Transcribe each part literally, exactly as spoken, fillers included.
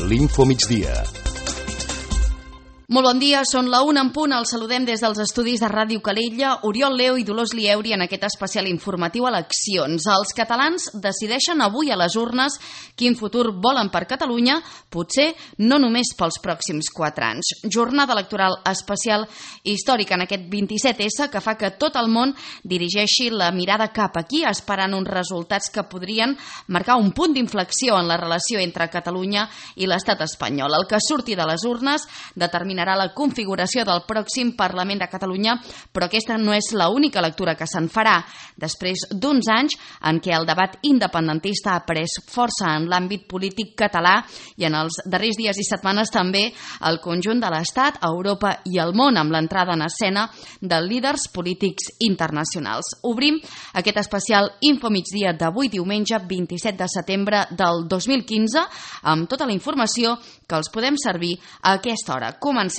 l'Info Migdia. Molt bon dia, són la una en punt, els saludem des dels estudis de Ràdio Calella, Oriol Leo i Dolors Lieuri en aquest especial informatiu Eleccions. Els catalans decideixen avui a les urnes quin futur volen per Catalunya, potser no només pels pròxims quatre anys. Jornada electoral especial històrica en aquest vint-i-set essa que fa que tot el món dirigeixi la mirada cap aquí, esperant uns resultats que podrien marcar un punt d'inflexió en la relació entre Catalunya i l'estat espanyol. El que surti de les urnes determinarà la configuració del pròxim Parlament de Catalunya, però aquesta no és l'única lectura que se'n farà. Després d'uns anys en què el debat independentista ha pres força en l'àmbit polític català i en els darrers dies i setmanes també el conjunt de l'Estat, Europa i el món amb l'entrada en escena de líders polítics internacionals. Obrim aquest especial Info Migdia d'avui diumenge vint-i-set de setembre del dos mil quinze amb tota la informació que els podem servir a aquesta hora. Comencem.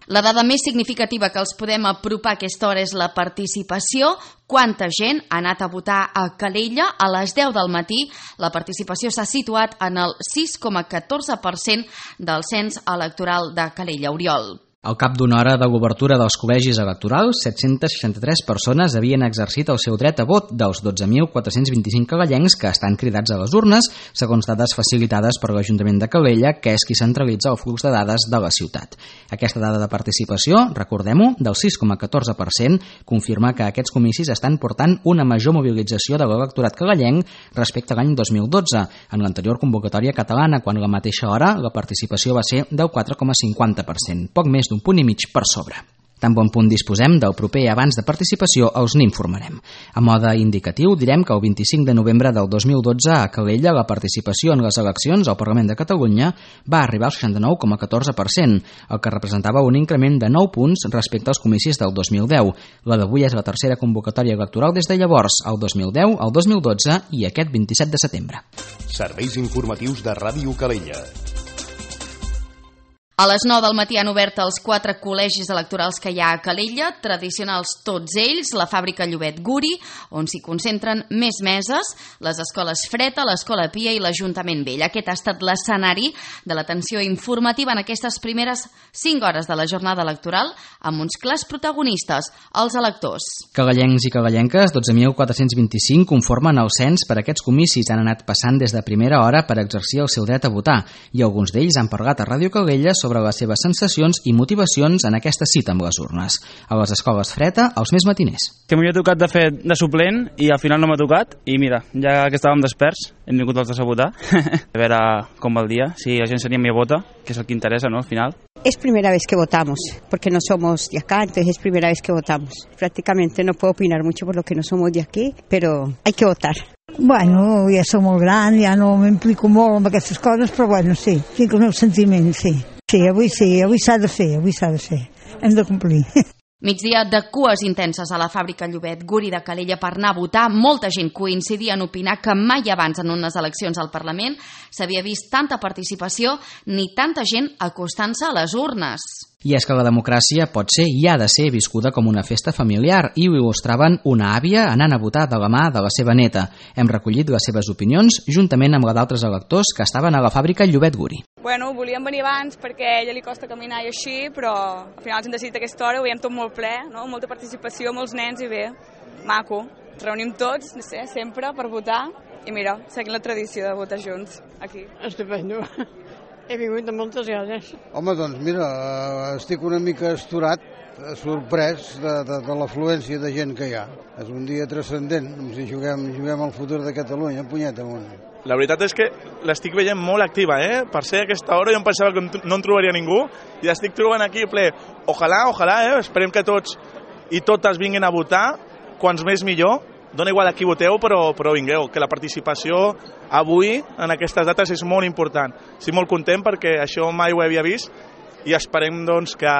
La dada més significativa que els podem apropar a aquesta hora és la participació. Quanta gent ha anat a votar a Calella? A les deu del matí la participació s'ha situat en el sis coma catorze per cent del cens electoral de Calella. Oriol. Al cap d'una hora de l'obertura dels col·legis electorals, set-cents seixanta-tres persones havien exercit el seu dret a vot dels dotze mil quatre-cents vint-i-cinc cagallencs que estan cridats a les urnes, segons dades facilitades per l'Ajuntament de Calella, que és qui centralitza el flux de dades de la ciutat. Aquesta dada de participació, recordem-ho, del sis coma catorze per cent, confirma que aquests comicis estan portant una major mobilització de l'electorat cagallenc respecte a l'any dos mil dotze. En l'anterior convocatòria catalana, quan a la mateixa hora la participació va ser del quatre coma cinquanta per cent, poc més d'un punt i mig per sobre. Tan bon punt disposem del proper abans de participació els n'informarem. A mode indicatiu direm que el vint-i-cinc de novembre del dos mil dotze a Calella la participació en les eleccions al Parlament de Catalunya va arribar al seixanta-nou coma catorze per cent, el que representava un increment de nou punts respecte als comicis del dos mil deu. La d'avui és la tercera convocatòria electoral des de llavors, el dos mil deu, el dos mil dotze i aquest vint-i-set de setembre. Serveis informatius de Ràdio Calella. A les nou del matí han obert els quatre col·legis electorals que hi ha a Calella, tradicionals tots ells, la fàbrica Llobet Guri, on s'hi concentren més meses, les escoles Freta, l'escola Pia i l'Ajuntament Vell. Aquest ha estat l'escenari de l'atenció informativa en aquestes primeres cinc hores de la jornada electoral, amb uns clars protagonistes, els electors. Cagallencs i cagallenques, dotze mil quatre-cents vint-i-cinc, conformen el cens per aquests comicis. Han anat passant des de primera hora per exercir el seu dret a votar, i alguns d'ells han parlat a Ràdio Calella sobre sobre les seves sensacions i motivacions en aquesta cita amb les urnes. A les escoles Freta, els més matiners. Que m'havia tocat de fer de suplent i al final no m'ha tocat i mira, ja que estàvem desperts hem vingut els dos a votar a veure com va el dia, si la gent s'anima a votar, que és el que interessa, ¿no? Al final. Es primera vez que votamos, porque no somos de acá, entonces es primera vez que votamos. Prácticamente no puedo opinar mucho por lo que no somos de aquí, pero hay que votar. Bueno, ja som molt gran, ja no m'implico molt amb aquestes coses, però bueno, sí, tinc el meu sentiment, sí. Sí, avui sí, avui s'ha de fer, avui s'ha de fer. Hem de complir. Migdia de cues intenses a la fàbrica Llobet Guri de Calella per anar a votar. Molta gent coincidia en opinar que mai abans en unes eleccions al Parlament s'havia vist tanta participació ni tanta gent acostant-se a les urnes. I és que la democràcia pot ser i ha de ser viscuda com una festa familiar, i ho il·lustraven una àvia anant a votar de la mà de la seva neta. Hem recollit les seves opinions juntament amb la d'altres electors que estaven a la fàbrica Llobet Guri. Bueno, volíem venir abans perquè a ella li costa caminar i així, però al final ens hem decidit aquesta hora, ho veiem tot molt ple, no? Molta participació, molts nens i bé, maco. Ens reunim tots, no sé, sempre per votar i mira, seguim la tradició de votar junts aquí. Estupendo. He vingut de moltes ganes. Home, doncs mira, estic una mica estorat, sorprès de, de, de l'afluència de gent que hi ha. És un dia transcendent, si juguem, juguem al futur de Catalunya, punyeta amunt. La veritat és que l'estic veient molt activa, eh? Per ser a aquesta hora jo em pensava que no en trobaria ningú i l'estic trobant aquí ple. Ojalà, ojalà, eh? Esperem que tots i totes vinguin a votar, quants més millor. Dona igual a qui voteu, però, però vingueu, que la participació avui en aquestes dates és molt important. Estic molt content perquè això mai ho havia vist i esperem doncs, que,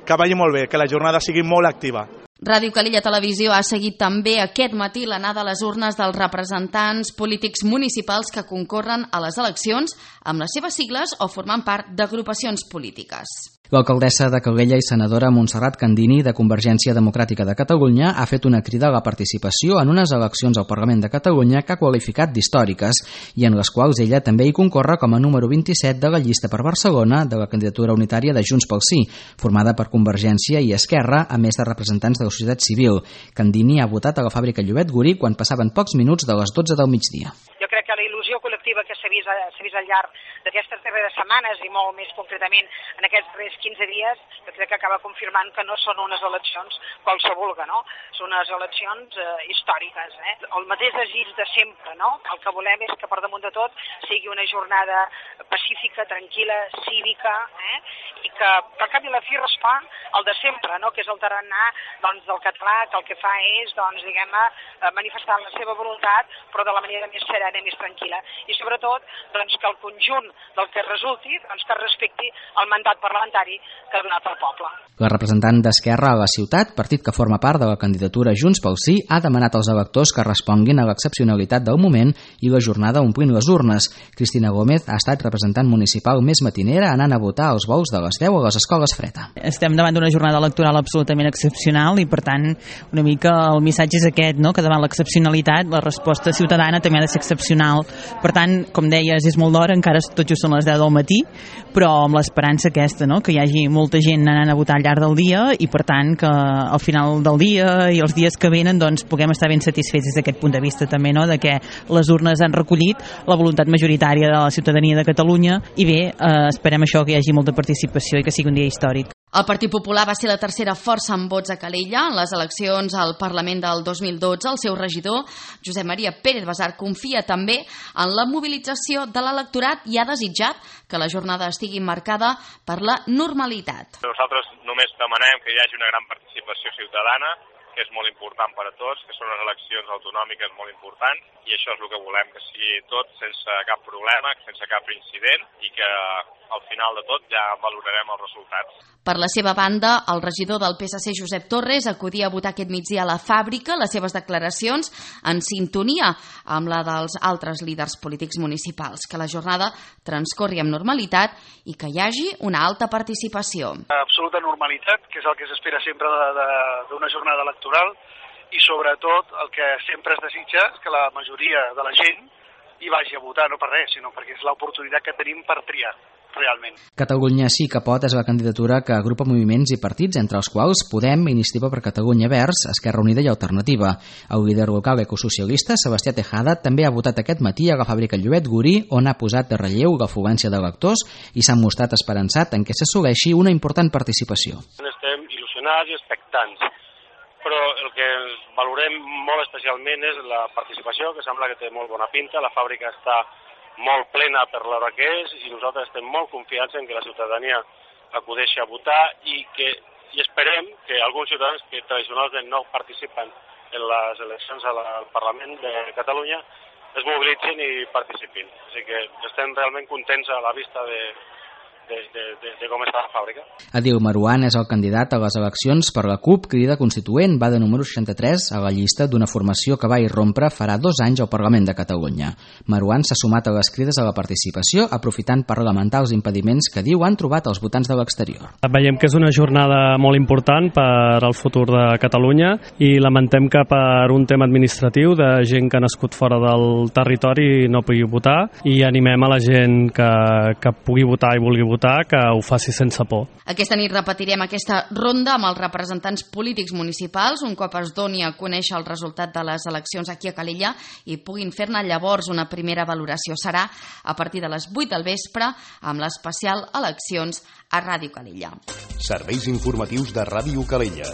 que vagi molt bé, que la jornada sigui molt activa. Ràdio Calella Televisió ha seguit també aquest matí l'anada a les urnes dels representants polítics municipals que concorren a les eleccions amb les seves sigles o formant part d'agrupacions polítiques. L'alcaldessa de Calella i senadora Montserrat Candini, de Convergència Democràtica de Catalunya, ha fet una crida a la participació en unes eleccions al Parlament de Catalunya que ha qualificat d'històriques i en les quals ella també hi concorre com a número vint-i-set de la llista per Barcelona de la candidatura unitària de Junts pel Sí, formada per Convergència i Esquerra, a més de representants de la societat civil. Candini ha votat a la fàbrica Llobet Gurí quan passaven pocs minuts de les dotze del migdia. Jo crec que la il·lusió col·lectiva que s'ha vist, s'ha vist al llarg d'aquestes darreres setmanes i molt més concretament en aquests darrers quinze dies, jo crec que acaba confirmant que no són unes eleccions qualsevol, no? Són unes eleccions eh, històriques, eh? El mateix desig de sempre, no? El que volem és que per damunt de tot sigui una jornada pacífica, tranquil·la, cívica, eh? I que per cap i la fi respon al de sempre, no? Que és el tarannà doncs, del català, que el que fa és, doncs, diguem-ne, manifestar la seva voluntat, però de la manera més serena i més tranquil·la. I sobretot, doncs, que el conjunt del que resulti, doncs, que respecti el mandat parlamentari que ha donat el poble. La representant d'Esquerra a la ciutat, partit que forma part de la candidatura Junts pel Sí, ha demanat als electors que responguin a l'excepcionalitat del moment i la jornada omplint les urnes. Cristina Gómez ha estat representant municipal més matinera anant a votar als vols de les deu a les escoles Freda. Estem davant d'una jornada electoral absolutament excepcional i, per tant, una mica el missatge és aquest, no? Que davant l'excepcionalitat la resposta ciutadana també ha de ser excepcional. Per tant, com deies, és molt d'hora, encara tot just són les deu del matí, però amb l'esperança aquesta, no? Que hi hagi molta gent anant a votar al llarg del dia i, per tant, que al final del dia i els dies que venen doncs, puguem estar ben satisfets des d'aquest punt de vista també, no? De que les urnes han recollit la voluntat majoritària de la ciutadania de Catalunya i bé, eh, esperem això, que hi hagi molta participació i que sigui un dia històric. El Partit Popular va ser la tercera força en vots a Calella. En les eleccions al Parlament del dos mil dotze, el seu regidor, Josep Maria Pérez Basart, confia també en la mobilització de l'electorat i ha desitjat que la jornada estigui marcada per la normalitat. Nosaltres només demanem que hi hagi una gran participació ciutadana, que és molt important per a tots, que són unes eleccions autonòmiques molt importants, i això és el que volem, que sigui tot sense cap problema, sense cap incident, i que al final de tot ja valorarem els resultats. Per la seva banda, el regidor del P S C, Josep Torres, acudia a votar aquest migdia a la fàbrica, les seves declaracions en sintonia amb la dels altres líders polítics municipals, que la jornada transcorri amb normalitat i que hi hagi una alta participació. Absoluta normalitat, que és el que s'espera sempre d'una jornada electoral, i sobretot el que sempre es desitja és que la majoria de la gent hi vagi a votar, no per res, sinó perquè és l'oportunitat que tenim per triar realment. Catalunya sí que pot és la candidatura que agrupa moviments i partits, entre els quals Podem, Iniciativa per Catalunya Verds, Esquerra Unida i Alternativa. El líder local ecosocialista, Sebastià Tejada, també ha votat aquest matí a la fàbrica Llobet Gurí, on ha posat de relleu l'afluència d'electors i s'ha mostrat esperançat en què s'assoleixi una important participació. Estem il·lusionats i expectants, però el que valorem molt especialment és la participació, que sembla que té molt bona pinta. La fàbrica està molt plena per l'hora que és i nosaltres estem molt confiats en que la ciutadania acudeixi a votar i que i esperem que alguns ciutadans que tradicionalment no participen en les eleccions al Parlament de Catalunya es mobilitzin i participin. Així que estem realment contents a la vista de De, de, de, de com està la fàbrica. Adil Marouane és el candidat a les eleccions per la CUP Crida Constituent, va de número seixanta-tres a la llista d'una formació que va irrompre farà dos anys al Parlament de Catalunya. Marouane s'ha sumat a les crides a la participació, aprofitant per lamentar els impediments que diu han trobat els votants de l'exterior. Veiem que és una jornada molt important per al futur de Catalunya i lamentem que per un tema administratiu de gent que ha nascut fora del territori no pugui votar, i animem a la gent que, que pugui votar i vulgui votar que ho faci sense por. Aquesta nit repetirem aquesta ronda amb els representants polítics municipals un cop es doni a conèixer el resultat de les eleccions aquí a Calella i puguin fer-ne llavors una primera valoració. Serà a partir de les vuit del vespre amb l'especial Eleccions a Ràdio Calella. Serveis informatius de Ràdio Calella.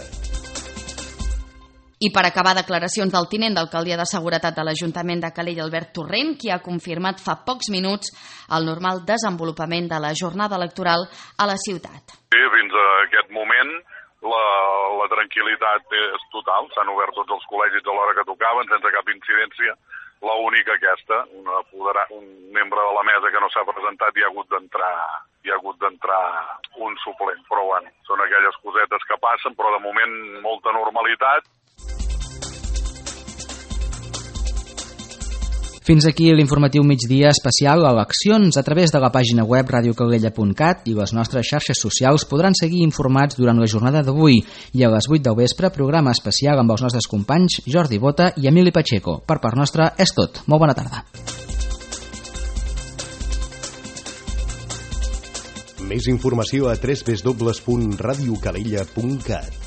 I per acabar, declaracions del tinent d'alcaldia de Seguretat de l'Ajuntament de Calella, Albert Torrent, qui ha confirmat fa pocs minuts el normal desenvolupament de la jornada electoral a la ciutat. Sí, fins a aquest moment la, la tranquil·litat és total. S'han obert tots els col·legis a l'hora que tocaven, sense cap incidència. L'única aquesta, una, un membre de la mesa que no s'ha presentat i ha hagut d'entrar hi ha hagut d'entrar un suplent. Però bueno, són aquelles cosetes que passen, però de moment molta normalitat. Fins aquí l'informatiu migdia especial Eleccions. A través de la pàgina web radio calella punt cat i les nostres xarxes socials podran seguir informats durant la jornada d'avui i a les vuit del vespre programa especial amb els nostres companys Jordi Bota i Emili Pacheco. Per part nostra és tot. Molt bona tarda. Més informació a w w w punt radio calella punt cat.